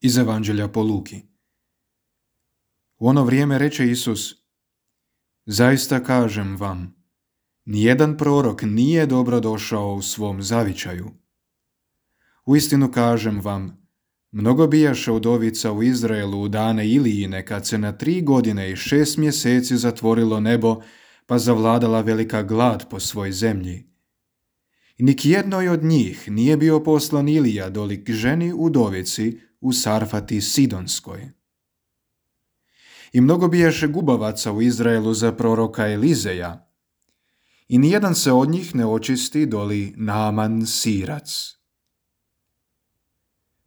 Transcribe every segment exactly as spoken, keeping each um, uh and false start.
Iz Evanđelja po Luki. U ono vrijeme reče Isus: Zaista kažem vam, nijedan prorok nije dobro došao u svom zavičaju. Uistinu kažem vam, mnogo bijaše udovica u Izraelu u dane Ilijine, kad se na tri godine i šest mjeseci zatvorilo nebo, pa zavladala velika glad po svoj zemlji. I nik jednoj od njih nije bio poslan Ilija doli k ženi udovici u Sarfati Sidonskoj. I mnogo bijaše gubavaca u Izraelu za proroka Elizeja, i nijedan se od njih ne očisti doli Naaman Sirac.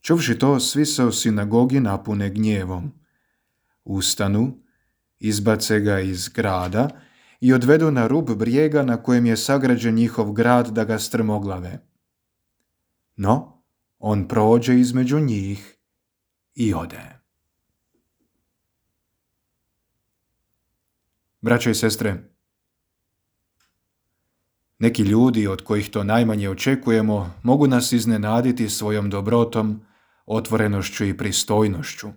Čuvši to, svi se u sinagogi napune gnjevom. Ustanu, izbace ga iz grada i odvedu na rub brijega na kojem je sagrađen njihov grad da ga strmoglave. No, on prođe između njih i ode. Braćo i sestre, neki ljudi od kojih to najmanje očekujemo mogu nas iznenaditi svojom dobrotom, otvorenošću i pristojnošću.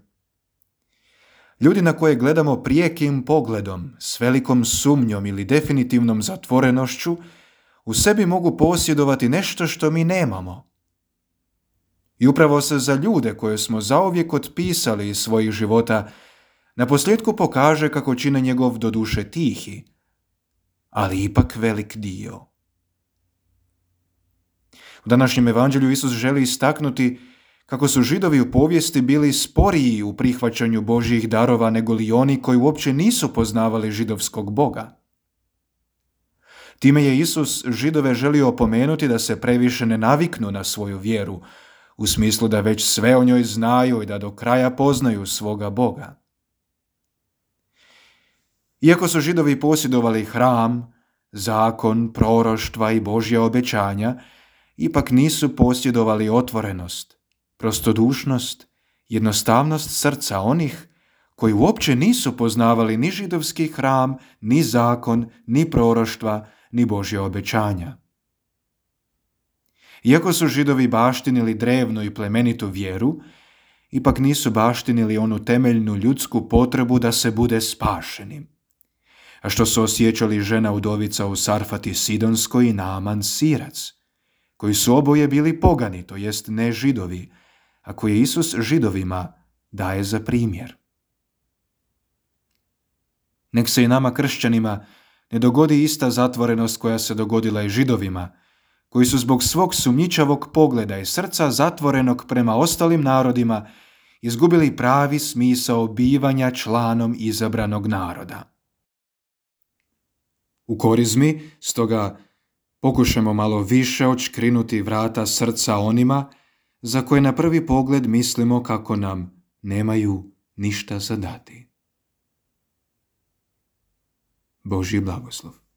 Ljudi na koje gledamo prijekim pogledom, s velikom sumnjom ili definitivnom zatvorenošću, u sebi mogu posjedovati nešto što mi nemamo. I upravo se za ljude koje smo zauvijek otpisali iz svojih života, naposljetku pokaže kako čine njegov doduše tihi, ali ipak velik dio. U današnjem evanđelju Isus želi istaknuti kako su Židovi u povijesti bili sporiji u prihvaćanju Božjih darova nego li oni koji uopće nisu poznavali židovskog Boga. Time je Isus Židove želio opomenuti da se previše ne naviknu na svoju vjeru, u smislu da već sve o njoj znaju i da do kraja poznaju svoga Boga. Iako su Židovi posjedovali hram, zakon, proroštva i Božja obećanja, ipak nisu posjedovali otvorenost, prostodušnost, jednostavnost srca onih koji uopće nisu poznavali ni židovski hram, ni zakon, ni proroštva, ni Božja obećanja. Iako su Židovi baštinili drevnu i plemenitu vjeru, ipak nisu baštinili onu temeljnu ljudsku potrebu da se bude spašenim, a što su osjećali žena udovica u Sarfati Sidonskoj i Naaman Sirac, koji su oboje bili pogani, to jest ne Židovi, a koje Isus Židovima daje za primjer. Nek se i nama kršćanima ne dogodi ista zatvorenost koja se dogodila i Židovima, koji su zbog svog sumnjičavog pogleda i srca zatvorenog prema ostalim narodima izgubili pravi smisao bivanja članom izabranog naroda. U Korizmi, stoga, pokušajmo malo više odškrinuti vrata srca onima za koje na prvi pogled mislimo kako nam nemaju ništa za dati. Božji blagoslov.